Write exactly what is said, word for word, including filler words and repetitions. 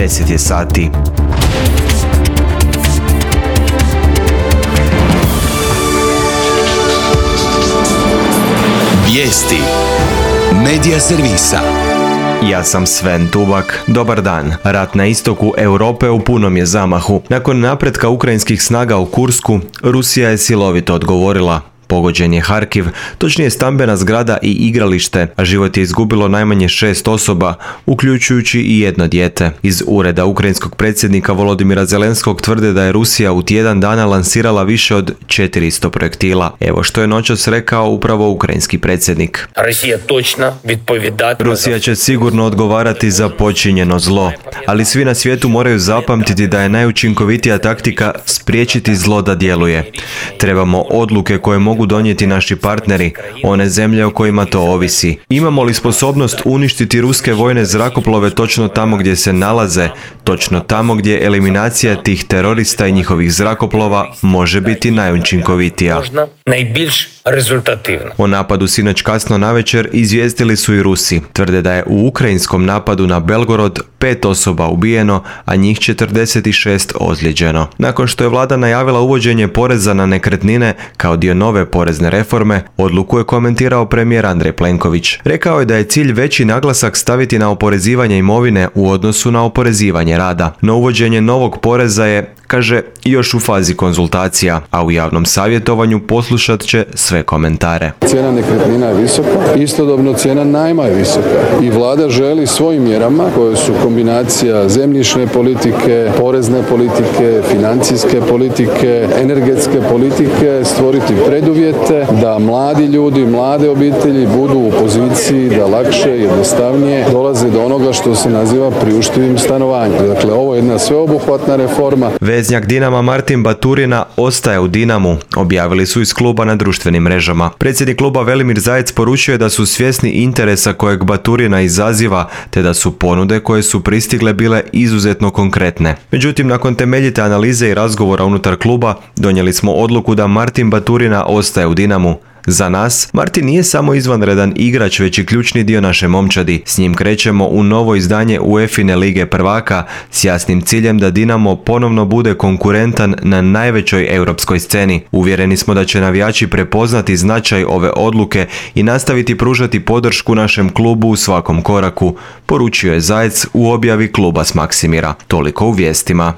deset je sati. Vijesti Medija servisa. Ja sam Sven Tubak. Dobar dan. Rat na istoku Europe u punom je zamahu. Nakon napretka ukrajinskih snaga u Kursku, Rusija je silovito odgovorila. Pogođen je Harkiv, točnije stambena zgrada i igralište, a život je izgubilo najmanje šest osoba, uključujući i jedno dijete. Iz ureda ukrajinskog predsjednika Volodimira Zelenskog tvrde da je Rusija u tjedan dana lansirala više od četiristo projektila. Evo što je noćas rekao upravo ukrajinski predsjednik. Rusija točno відповідати. Rusija će sigurno odgovarati za počinjeno zlo, ali svi na svijetu moraju zapamtiti da je najučinkovitija taktika spriječiti zlo da djeluje. Trebamo odluke koje mogu donijeti naši partneri, one zemlje o kojima to ovisi. Imamo li sposobnost uništiti ruske vojne zrakoplove točno tamo gdje se nalaze, točno tamo gdje eliminacija tih terorista i njihovih zrakoplova može biti najučinkovitija. Možda najbільш rezultativno. O napadu sinoć kasno navečer izvijestili su i Rusi. Tvrde da je u ukrajinskom napadu na Belgorod pet osoba ubijeno, a njih četrdeset šest ozlijeđeno. Nakon što je vlada najavila uvođenje poreza na nekretnine kao dio nove porezne reforme, odluku je komentirao premijer Andrej Plenković. Rekao je da je cilj veći naglasak staviti na oporezivanje imovine u odnosu na oporezivanje rada. No uvođenje novog poreza je, kaže, još u fazi konzultacija, a u javnom savjetovanju poslušat će sve komentare. Cijena nekretnina je visoka, istodobno cijena najma je visoka i vlada želi svojim mjerama, koje su kombinacija zemljišne politike, porezne politike, financijske politike, energetske politike, stvoriti preduvjete da mladi ljudi, mlade obitelji budu u poziciji da lakše, jednostavnije dolaze do onoga što se naziva priuštivim stanovanjem. Dakle, ovo je jedna sveobuhvatna reforma. Veznjak Dinama Martin Baturina ostaje u Dinamu, objavili su iz kluba na društvenim mrežama. Predsjednik kluba Velimir Zajec poručio je da su svjesni interesa kojeg Baturina izaziva, te da su ponude koje su pristigle bile izuzetno konkretne. Međutim, nakon temeljite analize i razgovora unutar kluba, donijeli smo odluku da Martin Baturina ostaje u Dinamu. Za nas, Martin nije samo izvanredan igrač, već i ključni dio naše momčadi. S njim krećemo u novo izdanje UEFA Lige prvaka s jasnim ciljem da Dinamo ponovno bude konkurentan na najvećoj europskoj sceni. Uvjereni smo da će navijači prepoznati značaj ove odluke i nastaviti pružati podršku našem klubu u svakom koraku, poručio je Zajec u objavi kluba s Maksimira. Toliko u vijestima.